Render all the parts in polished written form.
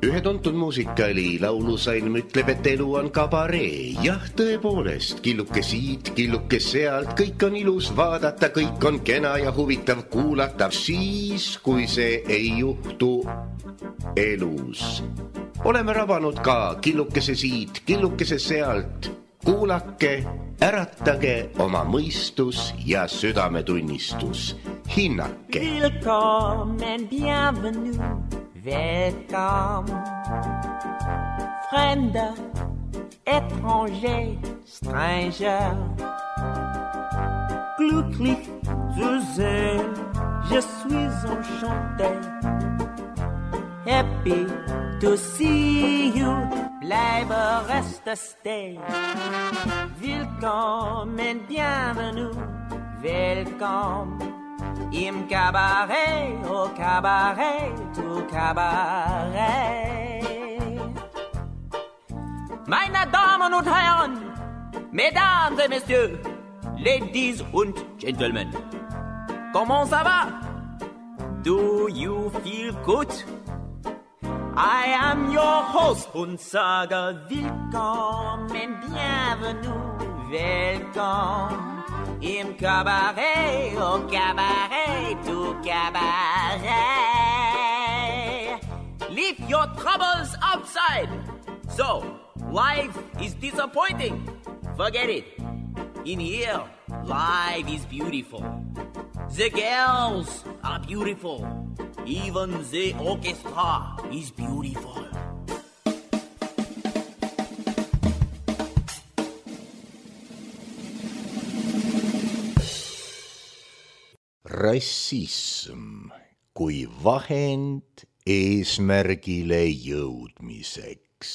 Ühe tuntud muusikali laulusalm ütleb, et elu on kabaree. Jah, tõepoolest, killuke siit, killuke sealt, kõik on ilus vaadata, kõik on kena ja huvitav kuulata, siis, kui see ei juhtu elus. Oleme rabanud ka killukese siit, killukese sealt. Kuulake, äratage oma mõistus ja südametunnistus. Hinnake. Willkommen, bienvenue, welcome. Fremder, étranger, stranger. Glücklich zu sehen, je suis enchanté. Happy to see you, bleibe reste stay. Willkommen, bienvenue, welcome. Im Cabaret, au Cabaret, au Cabaret. Meine Damen und Herren, Mesdames et Messieurs, Ladies und Gentlemen, comment ça va? Do you feel good? I am your host und sage willkommen, bienvenue, welcome. Im Cabaret, au Cabaret, au Cabaret. Leave your troubles outside. So, life is disappointing. Forget it. In here, life is beautiful. The girls are beautiful. Even the orchestra is beautiful. Rassism kui vahend eesmärgile jõudmiseks.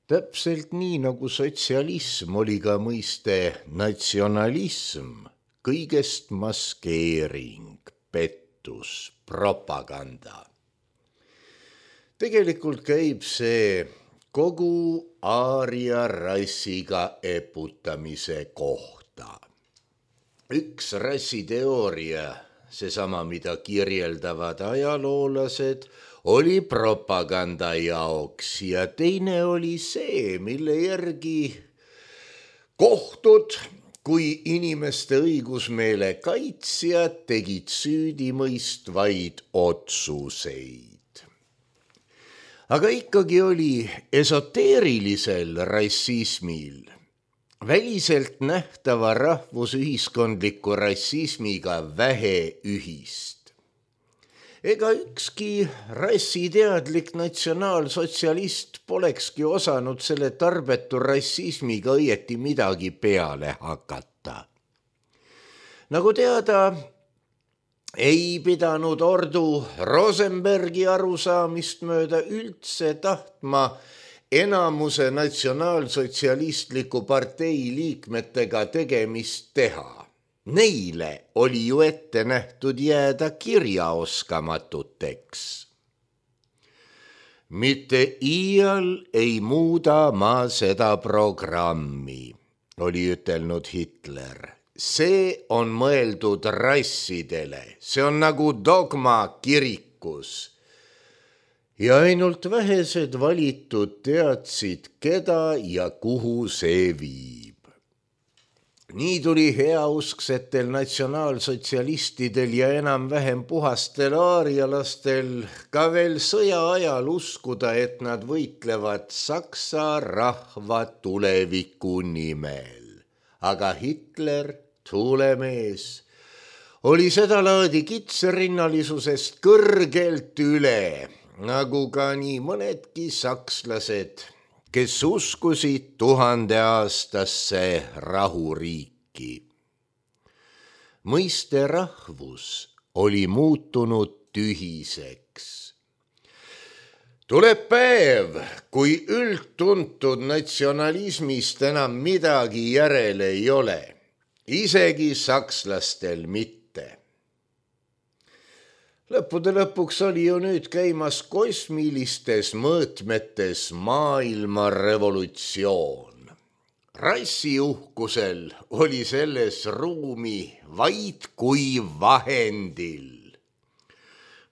Täpselt nii nagu sotsialism oli ka mõiste natsionalism, kõigest maskeering, pettus, propaganda. Tegelikult käib see kogu aaria rassiga eputamise kohta. Üks rassiteooria, seesama, mida kirjeldavad ajaloolased, oli propaganda jaoks ja teine oli see, mille järgi kohtud kui inimeste õigusmeele kaitsjad tegid süüdimõistvaid otsuseid. Aga ikkagi oli esoteerilisel rassismil väliselt nähtava rahvusühiskondliku rassismiga vähe ühist. Ega ükski rassiteadlik natsionaalsotsialist polekski osanud selle tarbetu rassismiga õieti midagi peale hakata. Nagu teada, ei pidanud ordu Rosenbergi arusaamist mööda üldse tahtma enamuse natsionaalsotsialistliku partei liikmetega tegemist teha. Neile oli ju ette nähtud jääda kirjaoskamatuteks. Mitte iial ei muuda ma seda programmi, oli ütelnud Hitler. See on mõeldud rassidele, see on nagu dogma kirikus. Ja ainult vähesed valitud teadsid, keda ja kuhu see viib. Nii tuli heausksetel natsionaalsotsialistidel ja enam-vähem puhastel aarialastel ka veel sõja ajal uskuda, et nad võitlevad saksa rahva tuleviku nimel. Aga Hitler, tuulemees, oli seda laadi kitsarinnalisusest kõrgelt üle, nagu ka nii mõnedki sakslased, kes uskusid 1000-aastasse rahuriiki. Mõiste rahvus oli muutunud tühiseks. Tuleb päev, kui üldtuntud natsionalismist enam midagi järele ei ole, isegi sakslastel mitte. Lõppude lõpuks oli ju nüüd käimas kosmilistes mõõtmetes maailma revolutsioon. Rassiuhkusel oli selles ruumi vaid kui vahendil.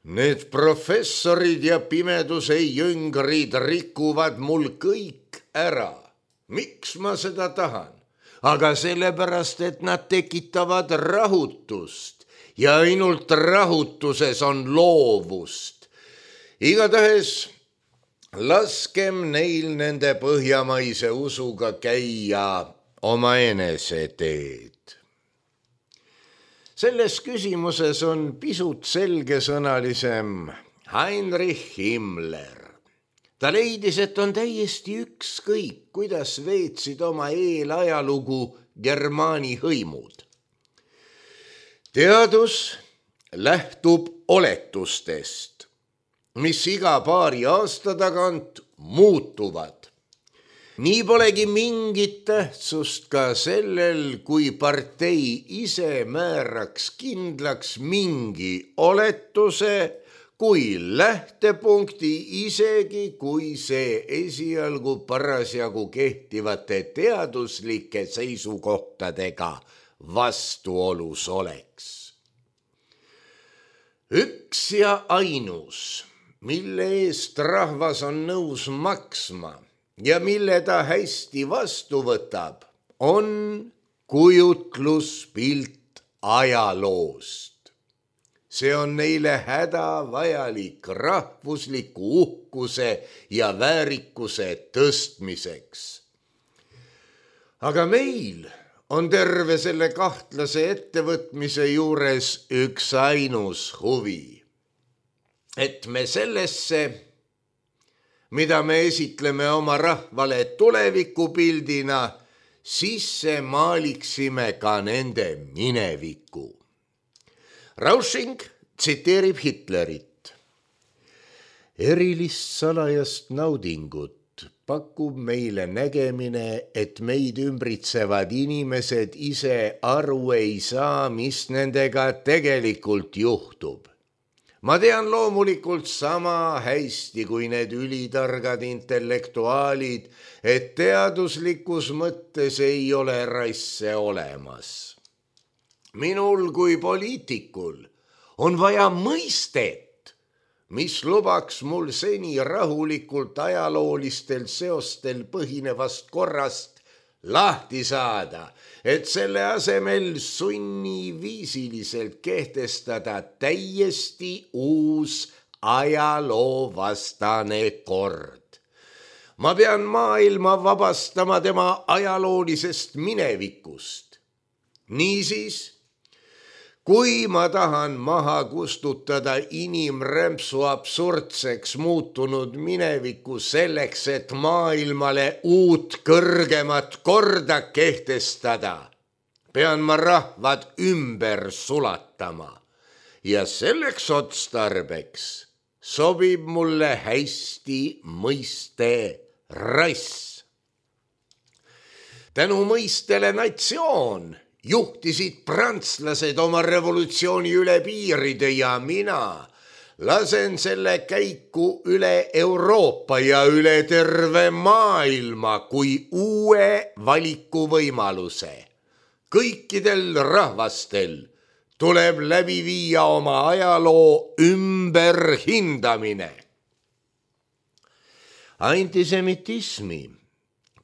Need professorid ja pimeduse jüngrid rikuvad mul kõik ära. Miks ma seda tahan? Aga sellepärast, et nad tekitavad rahutust ja ainult rahutuses on loovust. Igatahes laskem neil nende põhjamaise usuga käia oma enese teed. Selles küsimuses on pisut selgesõnalisem Heinrich Himmler. Ta leidis, et on täiesti ükskõik, kuidas veetsid oma eelajalugu Germaani hõimud. Teadus lähtub oletustest, mis iga paari aasta tagant muutuvad. Nii polegi mingit tähtsust ka sellel, kui partei ise määraks kindlaks mingi oletuse, kui lähtepunkti, isegi kui see esialgu parasjagu kehtivate teaduslike seisukohtadega vastuolus oleks. Üks ja ainus, mille eest rahvas on nõus maksma ja mille ta hästi vastu võtab, on kujutluspilt ajaloost. See on neile hädavajalik rahvusliku uhkuse ja väärikuse tõstmiseks. Aga meil on terve selle kahtlase ettevõtmise juures üks ainus huvi, et me sellesse, mida me esitleme oma rahvale tulevikupildina, sisse maaliksime ka nende mineviku. Rausching tsiteerib Hitlerit. Erilist salajast naudingut pakub meile nägemine, et meid ümbritsevad inimesed ise aru ei saa, mis nendega tegelikult juhtub. Ma tean loomulikult sama hästi kui need ülitargad intellektuaalid, et teaduslikus mõttes ei ole rasse olemas. Minul kui poliitikul on vaja mõistet, mis lubaks mul seni rahulikult ajaloolistel seostel põhinevast korrast lahti saada, et selle asemel sunniviisiliselt kehtestada täiesti uus ajaloovastane kord. Ma pean maailma vabastama tema ajaloolisest minevikust. Niisiis, kui ma tahan maha kustutada inimrämpsu absurdseks muutunud mineviku selleks, et maailmale uut kõrgemat korda kehtestada, pean ma rahvad ümber sulatama ja selleks otstarbeks sobib mulle hästi mõiste rass. Tänu mõistele natsioon juhtisid prantslased oma revolutsiooni üle piiride ja mina lasen selle käiku üle Euroopa ja üle terve maailma kui uue valikuvõimaluse. Kõikidel rahvastel tuleb läbi viia oma ajaloo ümberhindamine. Antisemitismi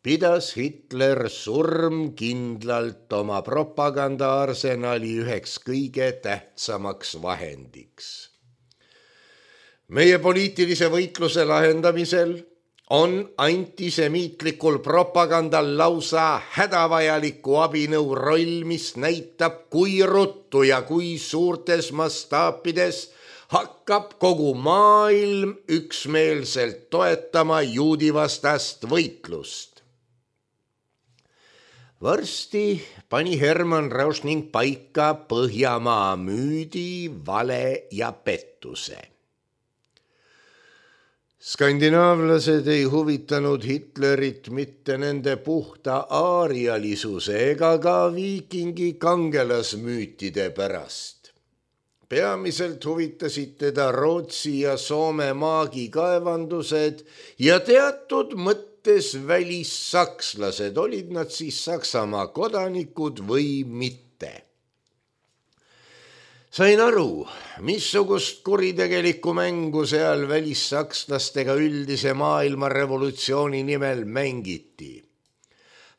pidas Hitler surmkindlalt oma propagandaarsenali üheks kõige tähtsamaks vahendiks. Meie poliitilise võitluse lahendamisel on antisemiitlikul propagandal lausa hädavajaliku abinõu roll, mis näitab, kui ruttu ja kui suurtes mastaapides hakkab kogu maailm üksmeelselt toetama juudivastast võitlust. Varsti pani Hermann Rauschning paika Põhjamaa müüdi, vale ja pettuse. Skandinaavlased ei huvitanud Hitlerit mitte nende puhta aarialisuse ega ka viikingi kangelasmüütide pärast. Peamiselt huvitasid teda Rootsi ja Soome maagikaevandused ja teatud mõttes välissakslased, olid nad siis Saksamaa kodanikud või mitte. Sain aru, missugust kuritegelikku mängu seal välissakslastega üldise maailmarevolutsiooni nimel mängiti.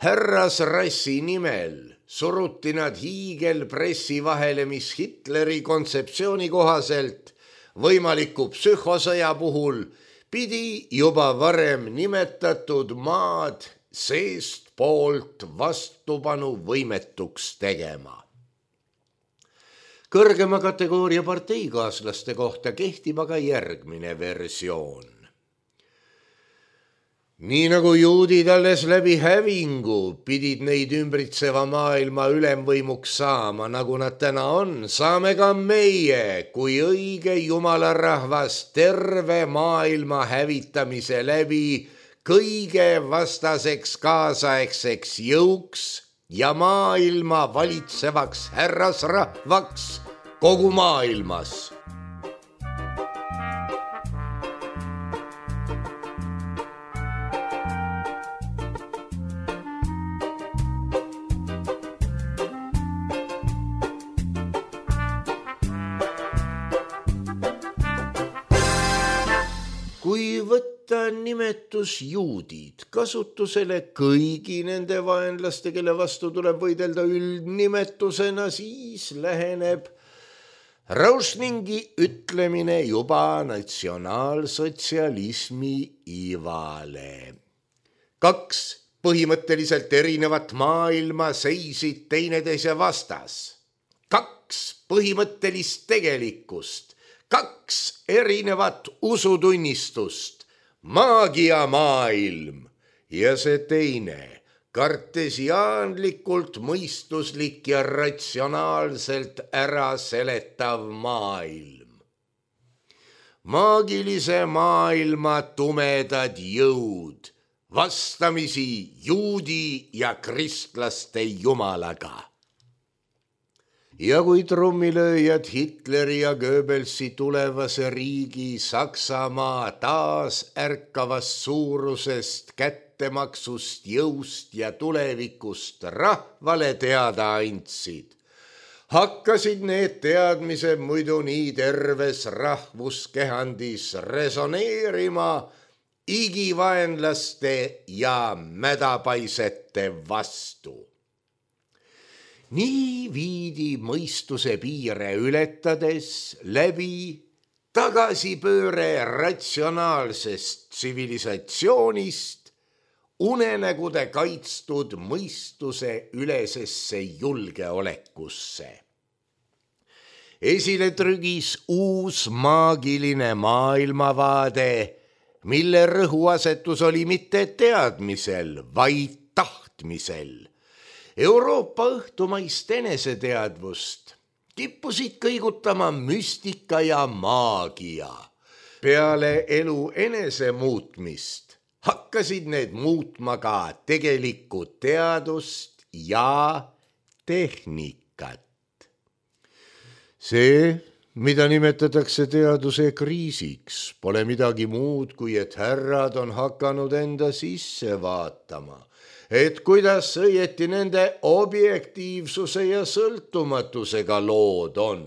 Härrasrassi nimel suruti nad hiigelpressi vahele, mis Hitleri kontseptsiooni kohaselt võimaliku psühhosõja puhul pidi juba varem nimetatud maad seestpoolt vastupanu võimetuks tegema. Kõrgema kategooria parteikaaslaste kohta kehtib aga järgmine versioon. Nii nagu juudid alles läbi hävingu pidid neid ümbritseva maailma ülemvõimuks saama, nagu nad täna on, saame ka meie kui õige jumalarahvas terve maailma hävitamise läbi kõige vastaseks kaasaegseks jõuks ja maailma valitsevaks härrasrahvaks kogu maailmas. Kui võtta nimetus juudid kasutusele kõigi nende vaenlaste, kelle vastu tuleb võidelda üldnimetusena, siis läheneb Rauschningi ütlemine juba natsionaalsotsialismi ivale. 2 põhimõtteliselt erinevat maailma seisid teineteise vastas. 2 põhimõttelist tegelikkust. 2 erinevat usutunnistust, maagiamaailm ja see teine, kartesiaanlikult mõistuslik ja ratsionaalselt äraseletav maailm. Maagilise maailma tumedad jõud, vastamisi juudi ja kristlaste jumalaga. Ja kui trummilööjad Hitleri ja Goebbelsi tulevase riigi Saksamaa taas ärkavast suurusest kättemaksust, jõust ja tulevikust rahvale teada andsid, hakkasid need teadmised muidu nii terves rahvuskehandis resoneerima igivaenlaste ja mädapaisete vastu. Nii viidi mõistuse piire ületades läbi tagasipööre ratsionaalsest tsivilisatsioonist unenägude kaitstud mõistuse ülesesse julgeolekusse. Esile trügis uus maagiline maailmavaade, mille rõhuasetus oli mitte teadmisel, vaid tahtmisel. Euroopa õhtumaist eneseteadvust kippusid kõigutama müstika ja maagia. Peale elu enese muutmist hakkasid need muutma ka tegelikku teadust ja tehnikat. See, mida nimetatakse teaduse kriisiks, pole midagi muud, kui et härrad on hakanud enda sisse vaatama, et kuidas õieti nende objektiivsuse ja sõltumatusega lood on.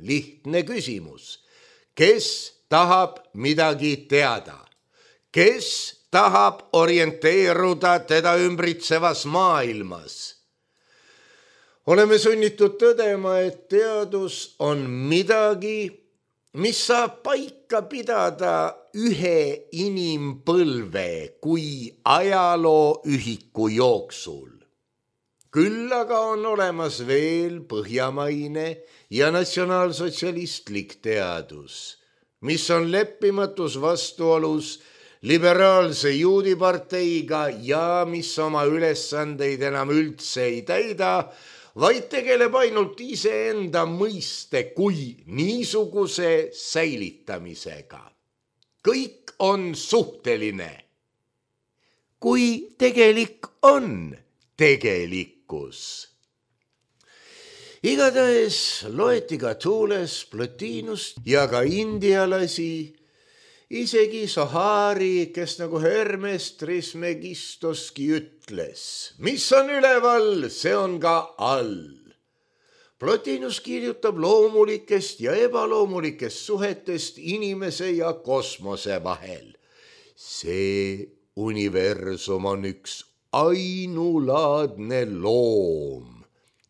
Lihtne küsimus. Kes tahab midagi teada? Kes tahab orienteeruda teda ümbritsevas maailmas? Oleme sunnitud tõdema, et teadus on midagi, mis saab paika pidada ühe inimpõlve kui ajalooühiku jooksul. Küll aga on olemas veel põhjamaine ja natsionaalsotsialistlik teadus, mis on leppimatus vastuolus liberaalse juudiparteiga ja mis oma ülesandeid enam üldse ei täida, vaid tegeleb ainult iseenda mõiste kui niisuguse säilitamisega. Kõik on suhteline. Kui tegelik on tegelikkus. Igatahes loeti ka Thules, Plotinust ja ka indialasi, isegi Sohari, kes nagu Hermes Trismegistoski ütles, mis on üleval, see on ka all. Plotinus kirjutab loomulikest ja ebaloomulikest suhetest inimese ja kosmose vahel. See universum on üks ainulaadne loom,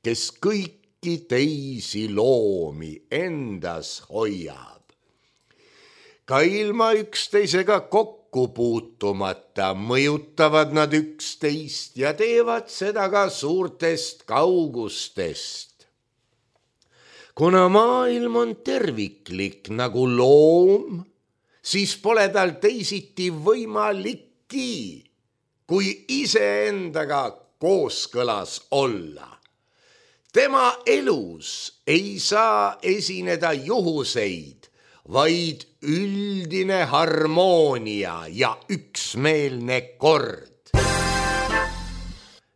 kes kõiki teisi loomi endas hoiab. Ka ilma üksteisega kokku puutumata mõjutavad nad üksteist ja teevad seda ka suurtest kaugustest. Kuna maailm on terviklik nagu loom, siis pole tal teisiti võimalikki, kui iseendaga kooskõlas olla. Tema elus ei saa esineda juhuseid, vaid üldine harmoonia ja üksmeelne kord.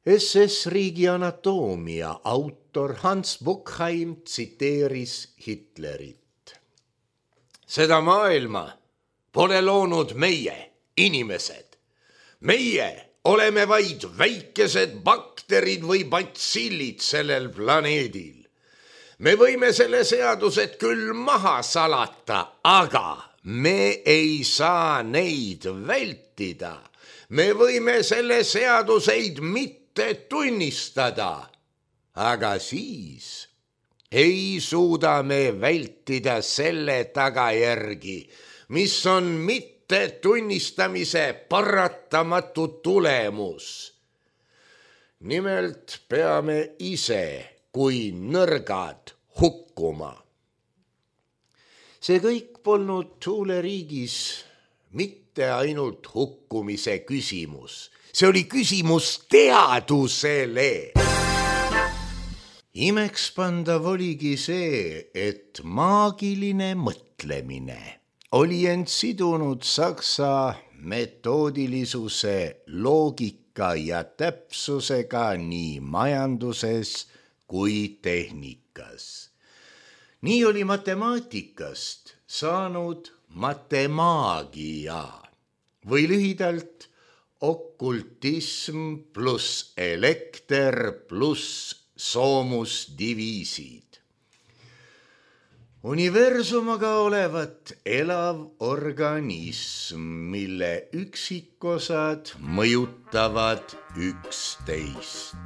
SS Riigi anatoomia autor Hans Buchheim tsiteeris Hitlerit. Seda maailma pole loonud meie, inimesed. Meie oleme vaid väikesed bakterid või batsillid sellel planeedil. Me võime selle seadused küll maha salata, aga me ei saa neid vältida. Me võime selle seaduseid mitte tunnistada, aga siis ei suuda me vältida selle tagajärgi, mis on mitte tunnistamise paratamatu tulemus. Nimelt peame ise kui nõrgad hukkuma. See kõik polnud Tuuleriigis mitte ainult hukkumise küsimus. See oli küsimus teadusele. Imekspandav oligi see, et maagiline mõtlemine oli end sidunud saksa metoodilisuse, loogika ja täpsusega nii majanduses kui tehnikas. Nii oli matemaatikast saanud matemaagia või lühidalt okultism pluss elekter pluss soomusdiviisid. Universum aga olevat elav organism, mille üksikosad mõjutavad üksteist.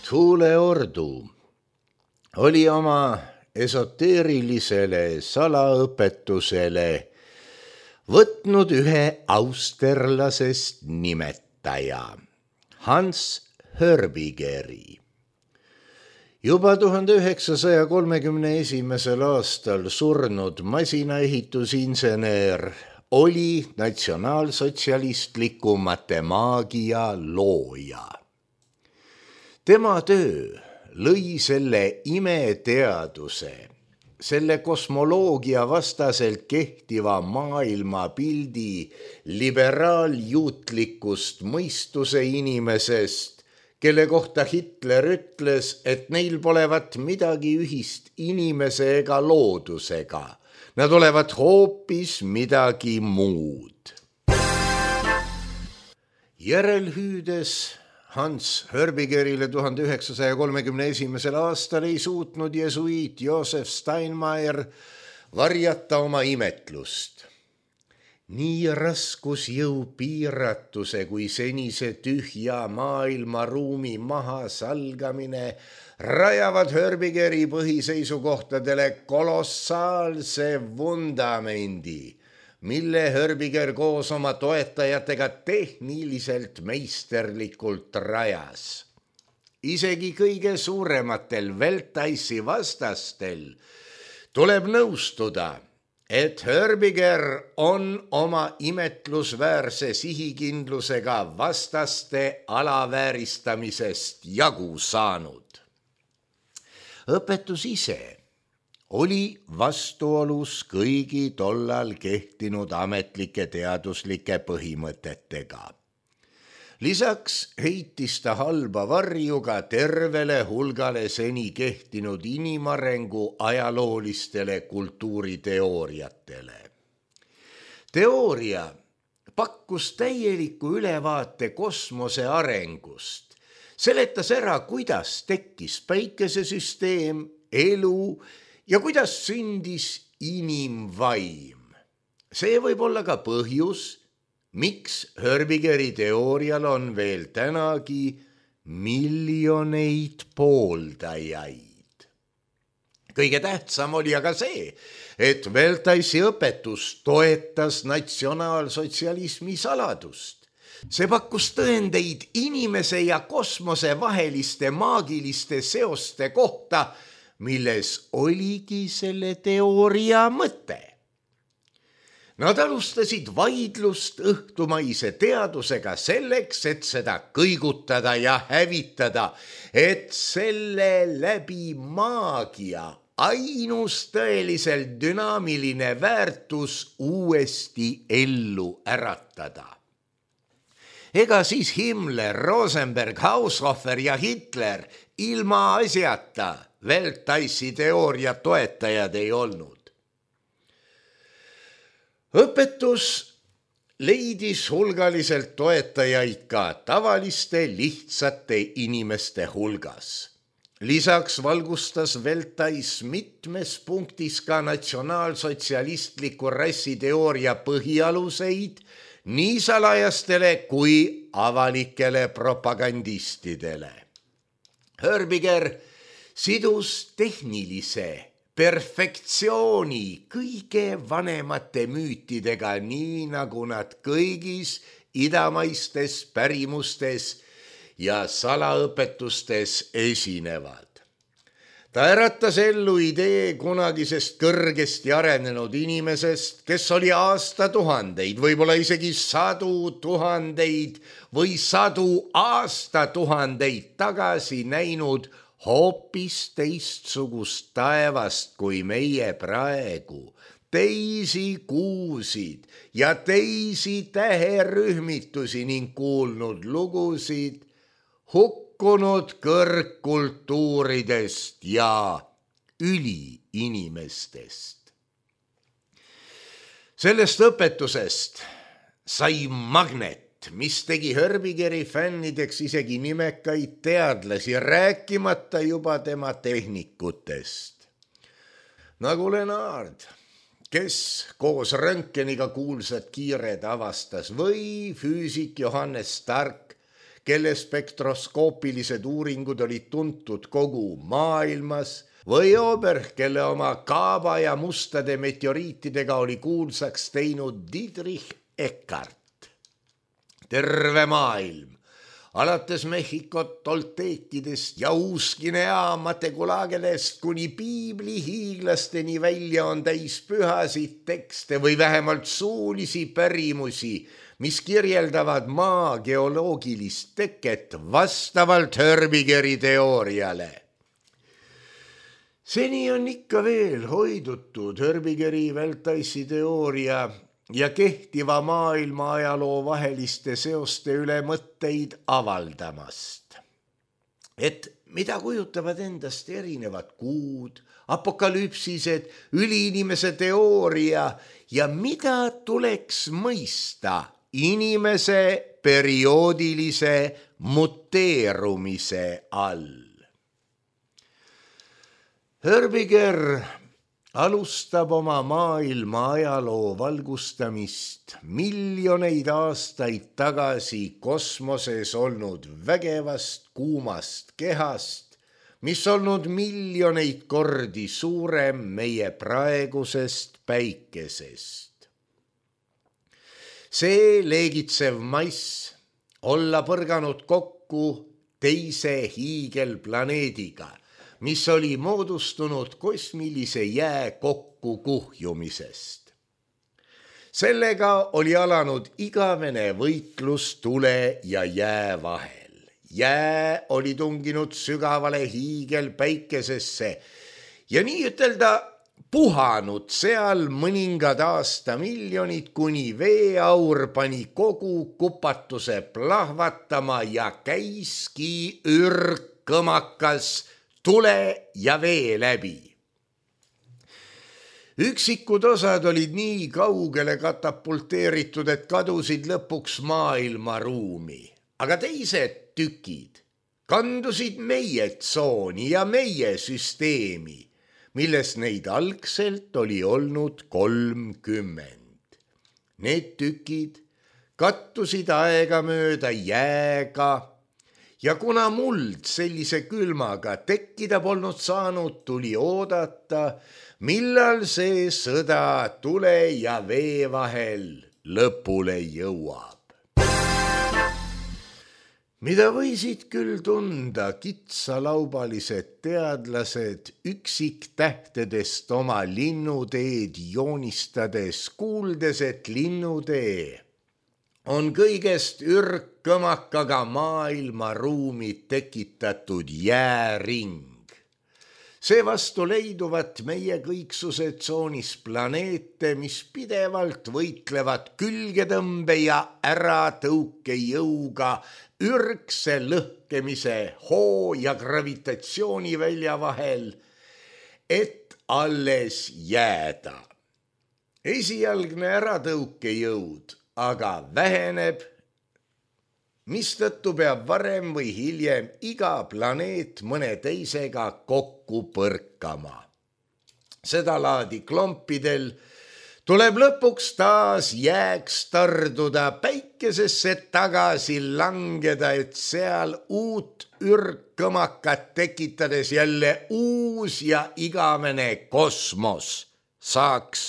Tuuleordu oli oma esoteerilisele salaõpetusele võtnud ühe austerlasest nimetaja, Hans Hörbigeri. Juba 1931. aastal surnud masinaehitusinseneer oli natsionaalsotsialistliku matemaagia looja. Tema töö lõi selle imeteaduse, selle kosmoloogia vastaselt kehtiva maailmapildi liberaaljuutlikust mõistuse inimesest, kelle kohta Hitler ütles, et neil polevat midagi ühist inimese ega loodusega. Nad olevat hoopis midagi muud. Järelhüüdes Hans Hörbigerile 1931. aastal ei suutnud jesuiit Josef Steinmeier varjata oma imetlust. Nii raskusjõu piiratuse kui senise tühja maailmaruumi mahasalgamine rajavad Hörbigeri põhiseisukohtadele kolossaalse vundamendi, mille Hörbiger koos oma toetajatega tehniliselt meisterlikult rajas. Isegi kõige suurematel Weltaisi vastastel tuleb nõustuda, et Hörbiger on oma imetlusväärse sihikindlusega vastaste alavääristamisest jagu saanud. Õpetus ise oli vastuolus kõigi tollal kehtinud ametlike teaduslike põhimõtetega. Lisaks heitis ta halba varjuga tervele hulgale seni kehtinud inimarengu ajaloolistele kultuuriteooriatele. Teooria pakkus täieliku ülevaate kosmose arengust, seletas ära, kuidas tekkis päikesesüsteem, elu ja kuidas sündis inimvaim. See võib olla ka põhjus, miks Hörbigeri teoorial on veel tänagi miljoneid pooldajaid. Kõige tähtsam oli aga see, et Veltaisi õpetus toetas natsionaalsotsialismi saladust. See pakkus tõendeid inimese ja kosmose vaheliste maagiliste seoste kohta, milles oligi selle teooria mõte. Nad alustasid vaidlust õhtumaise teadusega selleks, et seda kõigutada ja hävitada, et selle läbi maagia ainus tõeliselt dünaamiline väärtus uuesti ellu äratada. Ega siis Himmler, Rosenberg, Haushofer ja Hitler ilma asjata Veltaisi teooria toetajad ei olnud. Õpetus leidis hulgaliselt toetajaid ka tavaliste lihtsate inimeste hulgas. Lisaks valgustas Veltais mitmes punktis ka natsionaalsotsialistliku rassiteooria põhialuseid nii salajastele kui avalikele propagandistidele. Hörbiger sidus tehnilise perfektsiooni kõige vanemate müütidega, nii nagu nad kõigis idamaistes pärimustes ja salaõpetustes esinevad. Ta äratas ellu idee kunagisest kõrgesti arenenud inimesest, kes oli aastatuhandeid, võib-olla isegi 100 000 või 100 aastatuhandeid tagasi näinud hoopis teistsugust taevast kui meie praegu, teisi kuusid ja teisi täherühmitusi ning kuulnud lugusid hukkunud kõrgkultuuridest ja üliinimestest. Sellest õpetusest sai magnet, mis tegi Hörbigeri fännideks isegi nimekaid teadlasi, rääkimata juba tema tehnikutest. Nagu Lenard, kes koos Röntgeniga kuulsad kiired avastas, või füüsik Johannes Stark, kelle spektroskoopilised uuringud olid tuntud kogu maailmas, või Oberg, kelle oma kaaba ja mustade meteoriitidega oli kuulsaks teinud Dietrich Eckart. Terve maailm, alates Mehhikot, Tolteekidest ja Uus-Guinea Mategulagelest kuni piibli hiiglasteni välja on täis pühasid tekste või vähemalt suulisi pärimusi, mis kirjeldavad maa geoloogilist teket vastavalt Hörbigeri teooriale. Seni on ikka veel hoidutud Hörbigeri Veltaisi teooria ja kehtiva maailma ajaloo vaheliste seoste üle mõtteid avaldamast. Et mida kujutavad endast erinevad kuud, apokalüpsised, üliinimese teooria ja mida tuleks mõista inimese perioodilise muteerumise all. Hörbiger alustab oma maailma ajaloo valgustamist miljoneid aastaid tagasi kosmoses olnud vägevast kuumast kehast, mis olnud miljoneid kordi suurem meie praegusest päikesest. See leegitsev mass olla põrganud kokku teise hiigelplaneediga, mis oli moodustunud kosmilise jää kokkukuhjumisest. Sellega oli alanud igavene võitlus tule ja jää vahel. Jää oli tunginud sügavale hiigelpäikesesse ja nii ütelda puhanud seal mõningad aastamiljonid, kuni veeaur pani kogu kupatuse plahvatama ja käiski ürgkõmakas tule ja vee läbi. Üksikud osad olid nii kaugele katapulteeritud, et kadusid lõpuks maailmaruumi, aga teised tükid kandusid meie tsooni ja meie süsteemi, milles neid algselt oli olnud 30. Need tükid kattusid aegamööda jääga ja kuna muld sellise külmaga tekkida polnud saanud, tuli oodata, millal see sõda tule ja vee vahel lõpule jõuab. Mida võisid küll tunda kitsalaubalised teadlased üksiktähtedest oma linnuteed joonistades, kuuldes, et linnutee on kõigest ürgkõmakaga maailmaruumi tekitatud jääring. Seevastu leiduvat meie kõiksuse tsoonis planeete, mis pidevalt võitlevad külgetõmbe ja äratõukejõuga ürgse lõhkemise hoo ja gravitatsioonivälja vahel, et alles jääda. Esialgne äratõukejõud aga väheneb, mistõttu peab varem või hiljem iga planeet mõne teisega kokku põrkama. Seda laadi klompidel tuleb lõpuks taas jääks tarduda, päikesesse tagasi langeda, et seal uut ürgkõmakat tekitades jälle uus ja igavene kosmos saaks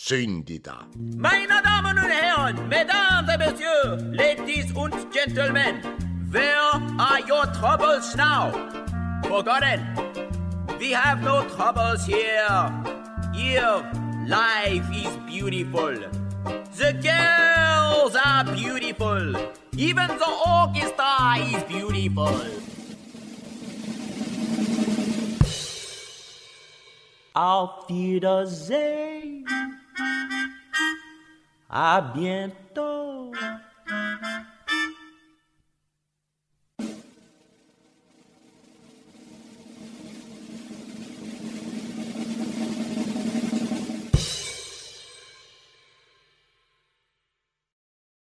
sündida. Meine Damen und Herren, Mesdames et Messieurs, Ladies und Gentlemen, where are your troubles now? Forgotten. We have no troubles here. Here, life is beautiful. The girls are beautiful. Even the orchestra is beautiful. Auf Wiedersehen. À bientôt.